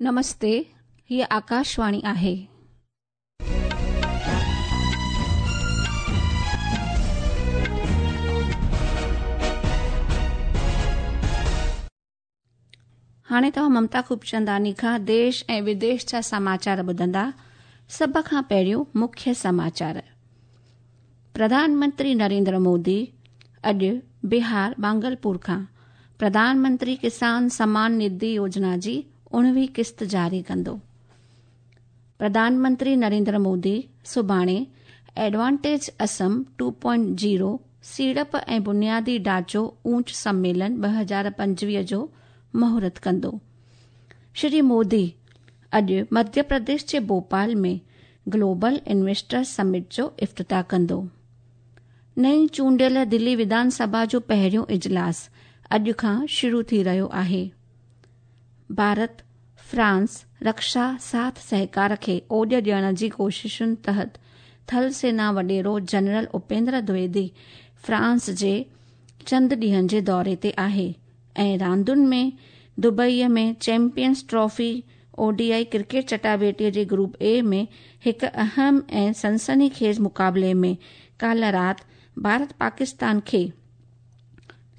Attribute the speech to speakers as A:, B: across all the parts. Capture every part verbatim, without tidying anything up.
A: नमस्ते, हीअ आकाशवाणी आहे। हाणे तव्हां ममता खूबचंदानी खां देश ऐं विदेश जा समाचार ॿुधंदा। सभ खां पहिरियों मुख्य समाचार। प्रधानमंत्री नरेंद्र मोदी अॼु बिहार बांगलपुर खां प्रधानमंत्री किसान सम्मान निधि योजना जी उणिवीह किस्त जारी कंदो। प्रधानमंत्री नरेंद्र मोदी सुभाणे advantage Assam two point zero सीड़प ऐं बुनियादी ढांचो ऊंच सम्मेलन ॿ हज़ार पंजवीह जो मुहूर्त कंदो। श्री मोदी अॼु मध्य प्रदेश जे भोपाल में ग्लोबल इन्वेस्टर समिट जो इफ्तिताह कंदो। नई चूंडियल दिल्ली विधानसभा जो पहिरियों इजलास अॼु खां शुरू थी रहियो आहे। भारत फ्रांस रक्षा साथ सहकार खे ओॾ ॾियण जी कोशिशुनि तहत थल सेना वॾेरो जनरल उपेंद्र द्विवेदी फ्रांस जे चंद ॾींहनि जे दौरे ते आहे। ऐं रांदुनि में दुबईअ में चैंपियंस ट्रॉफी ओडीआई क्रिकेट चटाभेटीअ जे ग्रुप ए में हिकु अहम ऐं सनसनीखेज़ मुक़ाबले में काल्ह राति भारत पाकिस्तान खे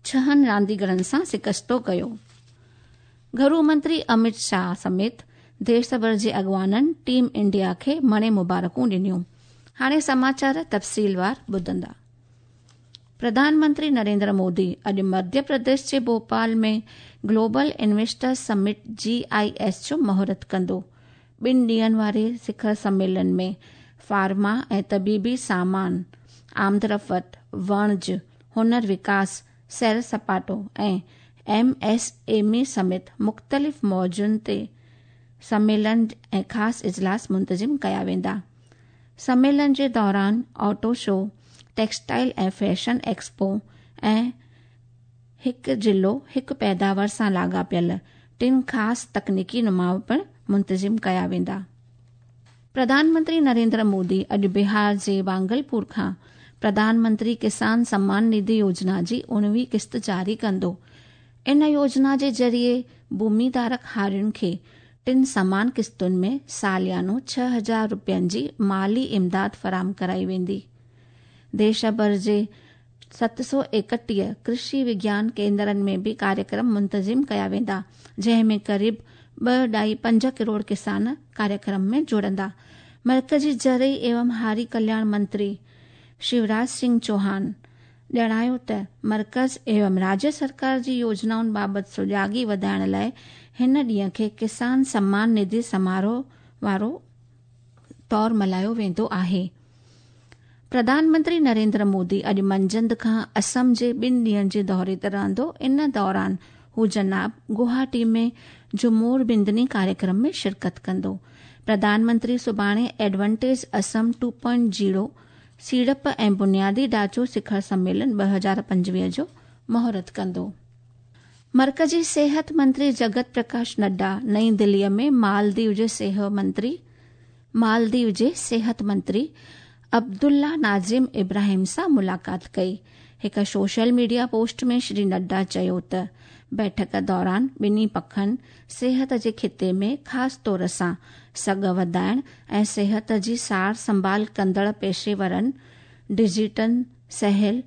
A: छहनि रांदीगरनि सां शिकस्तो कयो। घरू मंत्री अमित शाह समेत देश भर जे अॻवाननि टीम इंडिया खे मणे मुबारकूं ॾिनियूं। हाणे समाचार तफ़सीलवार ॿुधंदा। प्रधानमंत्री नरेंद्र मोदी अॼु मध्य प्रदेश जे भोपाल में global investor summit G I S जो मुहूर्त कंदो। ॿिनि ॾींहनि वारे शिखर सम्मेलन में फार्मा ऐं तबीबी सामान, आमदरफ़्त, वणज, हुनर विकास, सैर सपाटो ऐं एम एस एम ई समेत मुख़्तलिफ़ मौज़ुनि ते सम्मेलन ऐं ख़ासि इजलास मुंतज़िम कया वेंदा। सम्मेलन जे दौरान ऑटो शो, टेक्सटाइल ऐं फैशन एक्सपो ऐं हिकु ज़िलो हिकु पैदावार सां लाॻापियल टिनि ख़ासि तकनीकी नुमाव पिणु मुंतज़िम कया वेंदा। प्रधानमंत्री नरेंद्र मोदी अॼु बिहार जे बांगलपुर खां प्रधानमंत्री किसान सम्मान निधि योजना जी उणिवीह किस्त जारी कंदो। इन योजना जे ज़रिए भूमिधारक हारियुनि खे टिनि समान किस्तुनि में सालियानो छह हज़ार रुपयनि जी माली इमदाद फराहम कराई वेंदी। देश भर जे सत सौ एकटीह कृषि विज्ञान केंद्रनि में बि कार्यक्रम मुंतज़िम कया वेंदा, जंहिं में क़रीब ॿ ढाई पंज करोड़ किसान कार्यक्रम में जुड़ंदा। मर्कज़ी ज़रई एवं हारी कल्याण मंत्री शिवराज सिंह चौहान ॼाणायो त मर्कज़ एवं राज्य सरकार जी योजनाउनि बाबति सुजागी वधाइण लाइ हिन ॾींहं खे किसान सम्मान निधि समारोह वारो तौर मल्हायो वेंदो आहे। प्रधानमंत्री नरेंद्र मोदी अॼु मंझंदि खां असम जे ॿिनि ॾींहनि जे दौरे ते रहंदो। इन दौरान हू जनाब गुवाहाटी में जुमोर बिंदनी कार्यक्रम में शिरकत कंदो। प्रधानमंत्री सुभाणे advantage Assam two point zero सीड़प ऐं बुनियादी ढांचो शिखर सम्मेलन ॿ हज़ार पंजवीह जो मुहूर्त कंदो। मर्कज़ी सेहत मंत्री जगत प्रकाश नड्डा नई दिल्लीअ में मालदीव जे सेहत मंत्री मालदीव जे सेहत मंत्री अब्दुल्ला नाज़िम इब्राहिम सां मुलाक़ात कई। हिकु सोशल मीडिया पोस्ट में श्री नड्डा चयो त बैठक दौरान ॿिन्ही पखनि सेहत जे ख़िते में ख़ासि तौर सां सघ वधाइण ऐं सेहत जी सार संभाल कंदड़ पेशेवरनि, डिजिटल सहल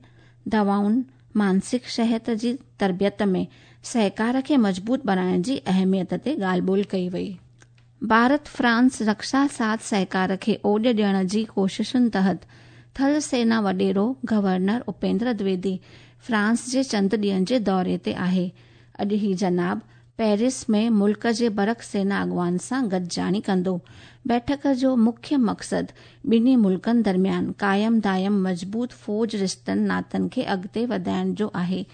A: दवाउनि, मानसिक सेहत जी तरबियत में सहकार खे मज़बूत बणाइण जी अहमियत ते ॻाल्हि ॿोल कई वई। भारत फ्रांस रक्षा साथ सहकार खे ओॾ ॾियण जी कोशिशुनि तहत थल सेना वॾेरो गवर्नर उपेंद्र द्विवेदी फ्रांस जे चंद ॾींहनि जे दौरे ते आहे। अॼु ही जनाब पेरिस में मुल्क जे बरक सेना अॻवान सां गॾिजाणी कंदो। बैठक जो मुख्य मक़सदु ॿिन्ही मुल्कनि दरमियान क़ाइम दायम मज़बूत फौज रिश्तनि नातनि खे अॻिते वधाइण जो आहे।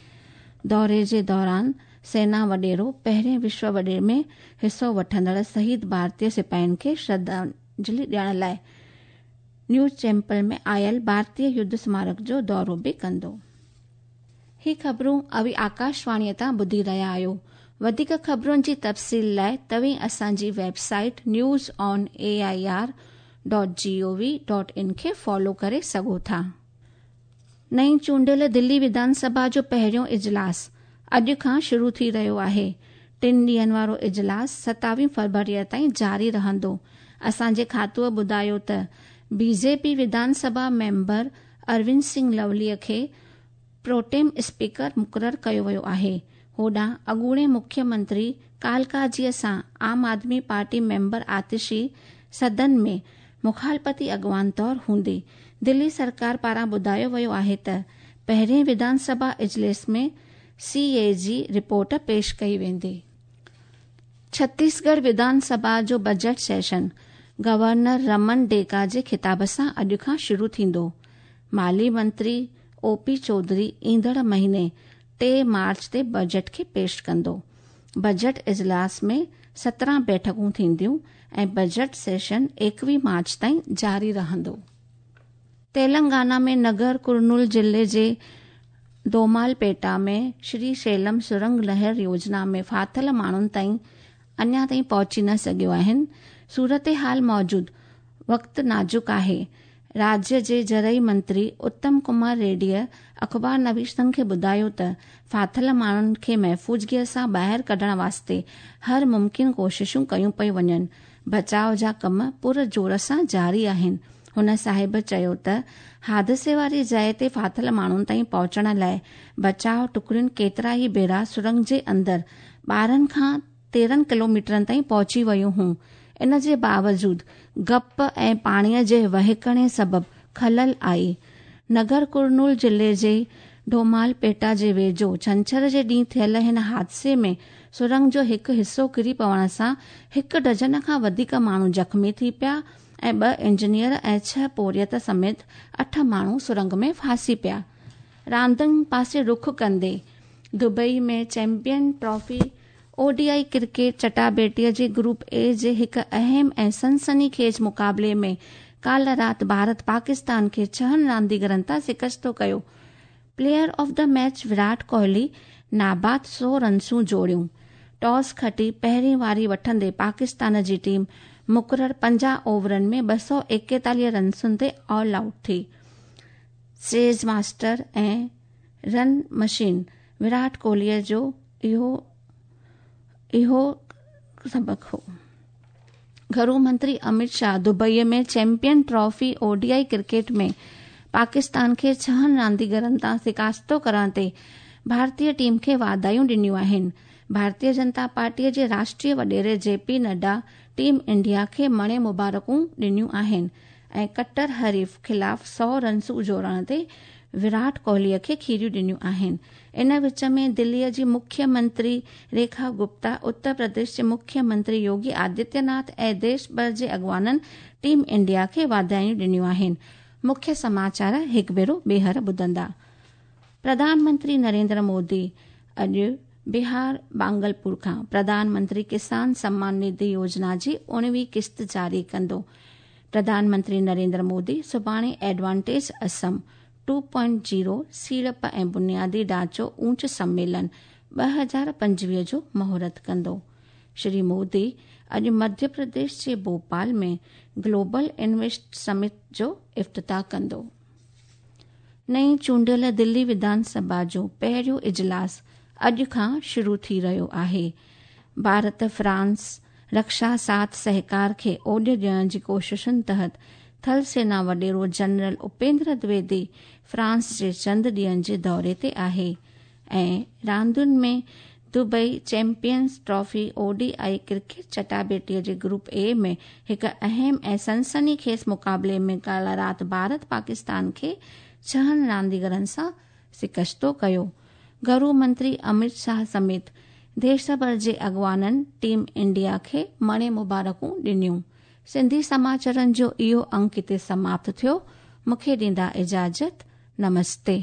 A: दौरे जे दौरान सेना वॾेरो पहिरें विश्व वॾे में हिसो वठंदड़ शहीद भारतीय सिपाहियुनि खे श्रद्धांजलि ॾियण लाइ न्यूज़ चैम्पल में आयल भारतीय युद्ध स्मारक जो दौरो बि कंदो। ही ख़बरूं अवी आकाशवाणीअ तां ॿुधी रहिया आहियो। वधीक ख़बरुनि जी तफ़सील लाइ तव्हीं असांजी website news on A I R dot G O V dot in खे फॉलो करे सघो था। नई चूंडियल दिल्ली विधानसभा जो पहिरियों इजलास अॼु खां शुरू थी रहियो आहे। ٽن ڏينهن وارو اجلاس ستاويهه فروريءَ تائين جاري رهندو. اسان جي کاتوءَ ٻڌايو ته بي جي پي وڌان سڀا ميمبر اروند سنگهه لوليءَ کي پروٽيم اسپيڪر مقرر ڪيو ويو آهي. هوڏانهن اڳوڻي مکيه منتري ڪالڪاجيءَ سان عام آدمي پارٽي ميمبر آتشي سدن ۾ مخالفتي اڳواڻ طور هوندي. دلي سرڪار پاران ٻڌايو ويو آهي ته پهرين وڌان سڀا اجلاس ۾ سي اي جي رپورٽ پيش ڪئي ويندي. ڇتيسڳڙهه وڌان سڀا جو بجيٽ سيشن گورنر رمن ڊيڪا جي خطاب سان اڄ کان شروع ٿيندو. مالي منتري او پي چوڌري ايندڙ مهيني ٽي مارچ تي بجيٽ کي پيش ڪندو. بجيٽ اجلاس ۾ سترهن بيٺڪون ٿينديون ۽ بجيٽ سيشن ايڪويهه مارچ تائين جاري رهندو. تيلنگانا ۾ نگر ڪرنول ضلعي جي دومالپيٽا ۾ شري شيلم سرنگ نهر يوجنا ۾ ڦاٿل ماڻهن تائين اڃا تائين پهچي نه سگهيو آهن. صورت حال موجود وقت نازڪ آهي. راجيه جي زرعي منتري اتم ڪمار ريڊيءَ اخبار نويسن کي ٻڌايو ته ڦاٿل ماڻهن کي محفوظگيءَ سان ٻاهر ڪڍڻ واسطي هر ممڪن ڪوششون ڪيون پيون وڃن. بچاءُ جا ڪم پر زور سان جاري آهن. هن صاحب چيو ته حادثي واري جاءِ تي ڦاٿل ماڻهن تائين پهچڻ لاءِ بچاءُ ٽڪڙيون ڪيترا ئي ڀيرا سرنگ جي اندر ٻارهن کان تيرهن ڪلوميٽرن تائين پهچي ويون هيون. ان جي باوجود گپ ۽ پاڻيءَ جي وهڪري سبب خلل آئي. نگر ڪرنول ضلعي جي ڊومالپيٽا جي ويجهو ڇنڇر جي ڏينهن ٿيل هن حادثي ۾ سرنگ جو هڪ حصو ڪري پوڻ سان هڪ ڊزن کان وڌيڪ ماڻهو زخمي ٿي پيا ۽ ٻه انجنيئر ۽ ڇهه پورهيت سميت اٺ ماڻهو سرنگ ۾ ڦاسي پيا. راندين پاسي رخ ڪندي Dubai ۾ champion trophy O D I cricket چٽاڀيٽيءَ جي گروپ اي جي هڪ اهم ۽ سنسني خيز مقابلي ۾ ڪالهه رات ڀارت پاڪستان کي ڇهن رانديگرن تان شڪستو ڪيو. Player of the match Virat Kohli ناباد سؤ رنسون جوڙيون. ٽاس کٽي پهرين واري وٺندي پاڪستان جي ٽيم مقرر پنجاهه اوورن ۾ ٻه سؤ ايڪيتاليهه رنسن تي آل آئوٽ ٿي. چيز ماسٽر ۽ رن مشين ويرات ڪوهليءَ جو اهو اهو سبق هو. گهرو منتري امت Shah دبئيءَ ۾ champion trophy O D I cricket ۾ Pakistan کي ڇهن رانديگرن تان شڪاستو ڪرڻ تي ڀارتيه ٽيم کي واڌايون ڏنيون آهن. ڀارتيه جنتا پارٽيءَ جي راشٽريه وڏيري جي پي نڊا ٽيم انڊيا کي مڻي مبارڪون ڏنيون آهن ۽ ڪٽر حريف خلاف سؤ رنسون جوڙڻ تي ويرات ڪوهليءَ کي کيريون ڏنيون آهن. ان وچ ۾ دليءَ جي مکيه منتري ريکا گپتا، اتر پرديش جي مکيه منتري يوگي آدتيه ناٿ ۽ ديش ڀر جي اڳواڻن ٽيم انڊيا کي واڌايون ڏنيون آهن. مکيه سماچار هڪ ڀيرو ٻيهر ٻڌندا. پرڌان منتري نريندر مودي اڄ بهار بانگلپور کان پرڌان منتري ڪسان سمان نڌي يوجنا جي اڻويهه قسط جاري ڪندو. پرڌان منتري نريندر مودي سڀاڻي advantage Assam two point zero سيڙپ ۽ بنيادي ڍانچو اونچ سميلن ٻه هزار پنجويهه جو مهورت ڪندو. شري مودي اڄ مڌيه پرديش جي ڀوپال ۾ گلوبل انويسٽ سمٽ جو افتتاح ڪندو. نئين چونڊيل دلي وڌان سڀا جو پهريون اجلاس اڄ کان شروع ٿي رهيو آهي. ڀارت فرانس رڪشا ساٿ سهڪار کي اوڏ ڏيڻ جي ڪوششن تحت ٿل سينا وڏيرو جنرل اپيندر دويدي فرانس جي چند ڏينهن جي دوري تي آهي. ۽ راندين ۾ Dubai champions trophy O D I cricket چٽاڀيٽيءَ جي گروپ اي ۾ هڪ اهم ۽ سنسني خيز مقابلي ۾ ڪالهه رات ڀارت پاڪستان کي ڇهن رانديگرن سان شڪستو ڪيو. گهرو منتري امت شاهه سميت ديش ڀر جي اڳواڻن ٽيم انڊيا کي مڻي مبارڪون ڏنيون. سنڌي سماچارن جو اهو انڪ هتي سماپت ٿيو. مون کي ڏيندا اجازت. نمستي.